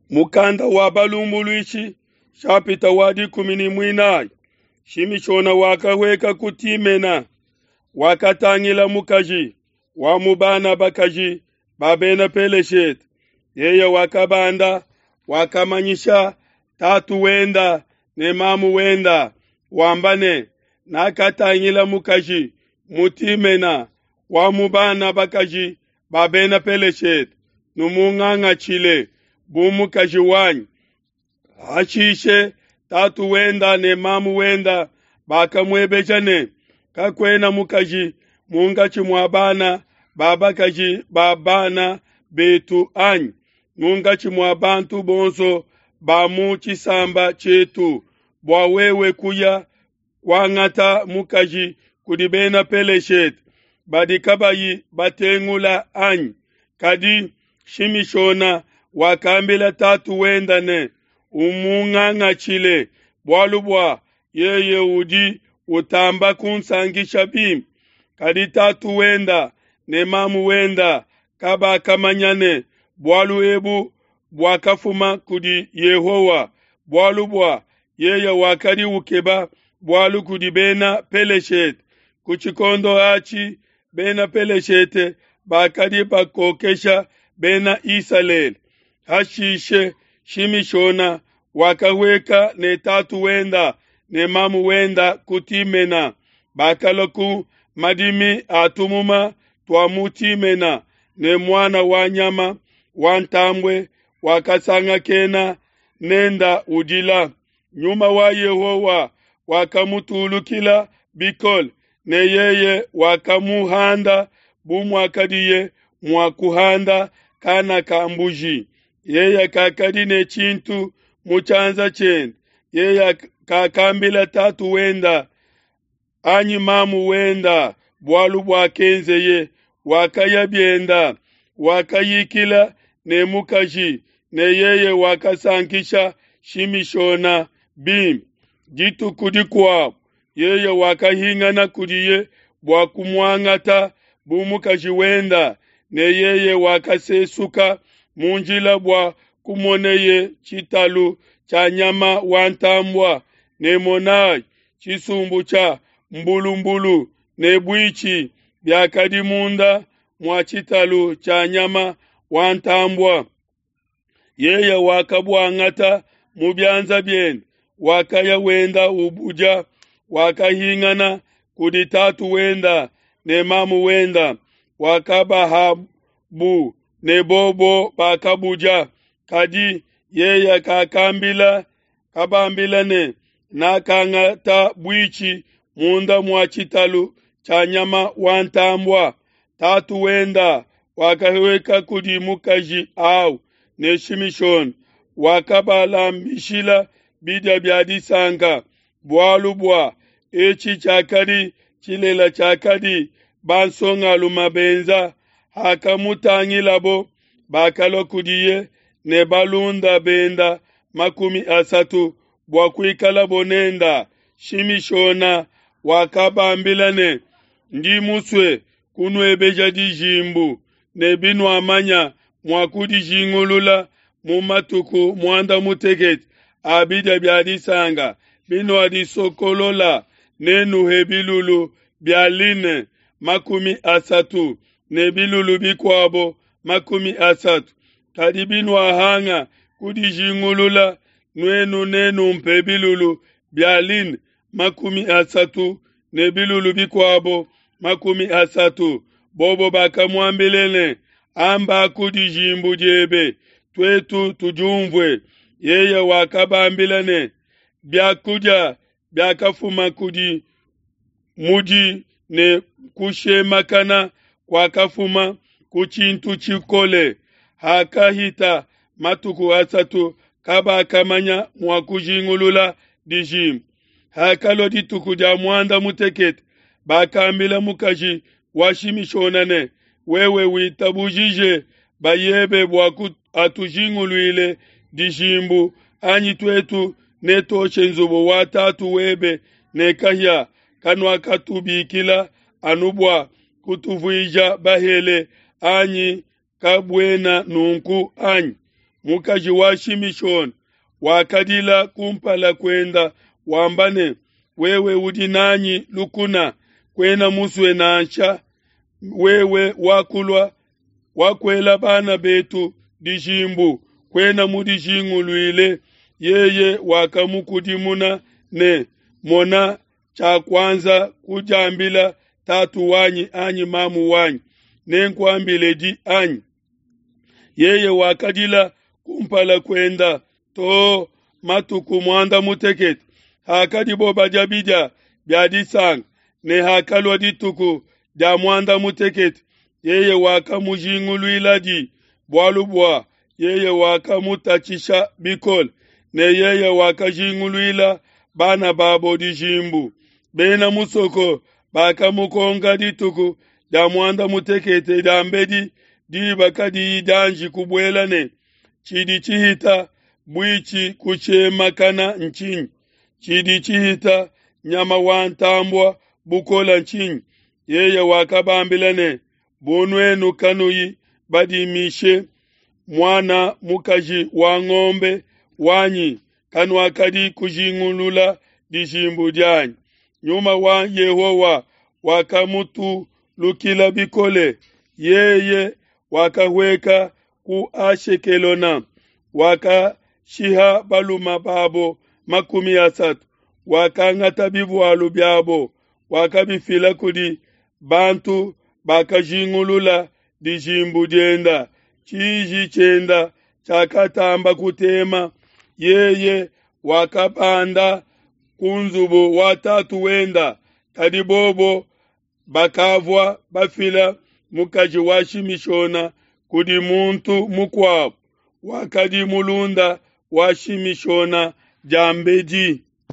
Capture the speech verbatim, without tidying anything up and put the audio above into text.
Mukanda wa Balumbuluishi shapita wa dikumi ne muinayi. Shimishona wakahueka ku Timena, wakatangila mukaji wa mu bana bakaji ba bena Peleshete. Yeye wakabanda, wakamanyisha tatu wenda ne mamu wenda, wamba ne, nakatangila mukaji mu Timena wa mu bana bakaji ba bena Peleshete, numungangatshile bu mukaji wanyi. Hashishe tatu wenda ne mamu wenda bakamuebeja ne, kakuena mukaji munkatshi mua bana ba bakaji ba bana betu anyi munkatshi mua bantu bonso ba mu tshisamba tshietu, bua wewe kuya kuangata mukaji kudi bena Peleshete badi kabayi batengula anyi? Kadi Shimishona wakambila tatu wenda ne, umungangatshile, bualu bua yeye udi utamba kunsankisha bimpe. Kadi tatu wenda ne mamu wenda kabakamanya ne bualu ebu buakafuma kudi Yehowa, bualu bua yeye wakadi ukeba bualu kudi bena Peleshete. Ku tshikondo atshi bena Peleshete bakadi bakokesha bena Isalele. Hashishe Shimishona wakahueka ne tatu wenda ne mamu wenda ku Timena. Bakalua ku madimi a tumuma tua mu Timena, ne muana wa nyama wa ntambue wakasangakena nenda udila. Nyuma wa Yehowa wakamutulukila bikole, ne yeye wakamuhanda bu muakadiye mua kuhanda kana ka mbuji. Yeye kakadi ne tshintu mu tshianza tshiende. Yeye kakambila tatu wenda anyi mamu wenda bualu buakenzeye. Wakaya bienda, wakayikila ne mukaji, ne yeye wakasankisha Shimishona bimpe. Dituku dikuabu yeye wakahingana kudiye bua kumuangata bu mukaji wenda, ne yeye wakasesuka mu njila bua kumoneye tshitalu tshia nyama wa ntambua, ne monai, tshisumbu tshia mbulumbulu ne buitshi biakadi munda mua tshitalu tshia nyama wa ntambua. Yeye wakabuangata mu bianza biende, wakaya wenda ubudia. Wakahingana kudi tatu wenda ne mamu wenda, wakabahabu ne bobo bakabudia. Kadi yeye kakambila kabambila ne, nakangata buitshi munda mua tshitalu tshia nyama wa ntambua. Tatu wenda wakahueka kudi mukaji au, ne Shimishona wakabalambishila bidia bia disanka, bualu bua etshi tshiakadi tshilela tshiakadi bansongalume benza. Hakamutangilabo, bakalua kudiye ne balunda benda makumi asatu bua kuikalabo nenda. Shimishona wakabambila ne, ndi musue kunuebeja dijimbu, ne binuamanya mua kudijingulula mu matuku muanda mutekete a bidia bia disanka, binuadisokolola, nenuhe bilulu bia line makumi asatu ne bilulu bikuabo makumi asatu. Kadi binuahanga kudijingulula, nuenu nenumpe bilulu bia line makumi asatu ne bilulu bikuabo makumi asatu. Bobo bakamuambila ne, amba ku dijimbu diebe, tuetu tudiumvue. Yeye wakabambila ne, biakudia biakafuma kudi mudi ne kushemakana kuakafuma ku tshintu tshikole. Hakahita matuku asatu kabakamanya mua kujingulula dijimbu. Hakalua dituku dia muanda mutekete, bakambila mukaji wa Shimishona ne, wewe witabujije bayebe bua atujinguluile dijimbu, anyi tuetu netoshe nzubu wa tatu webe ne kahia. Kanuakatubikila anu bua kutuvuija bahele anyi? Kabuena nunku anyi? Mukaji wa Shimishona wakadila kumpala kuenda wamba ne, wewe udi nanyi lukuna, kuena musue nansha wewe wakulua wakuela bana betu dijimbu, kuena mudijinguluile. Yeye wakamukudimuna ne, mona, tshiakuanza kudiambila tatu wanyi anyi mamu wanyi, nenkuambile di anyi? Yeye wakadila kumpala kuenda to matuku muanda mutekete. Hakadibo badia bidia bia disanka, ne hakalua dituku dia muanda mutekete, yeye wakamujinguluiladi, bualu bua yeye wakamutatshisha bikole, ne yeye wakajinguluila bana babo dijimbu. Bena musoko bakamukonka dituku dia muanda mutekete diambedi diba kadiyi dianji kubuela ne, tshidi tshihita buitshi kutshemakana ntshinyi? Tshidi tshihita nyama wa ntambua bukola ntshinyi? Yeye wakabambila ne, bu nuenu kanuyi badimishe muana mukaji wa ngombe wanyi, kanuakadi kujingulula dijimbu dianyi. Nyuma wa Yehowa wakamutulukila bikole, yeye wakahueka ku Ashekelona, wakashiha baluma babo makumi asatu, wakangata bivualu biabo, wakabifila kudi bantu bakajingulula dijimbu dienda. Tshiji tshienda tshiakatamba kutema, yeye wakabanda ku nzubu wa tatu wenda, kadi bobo bakavua bafila mukaji wa Shimishona kudi muntu mukuabo wakadi mulunda wa Shimishona diambedi.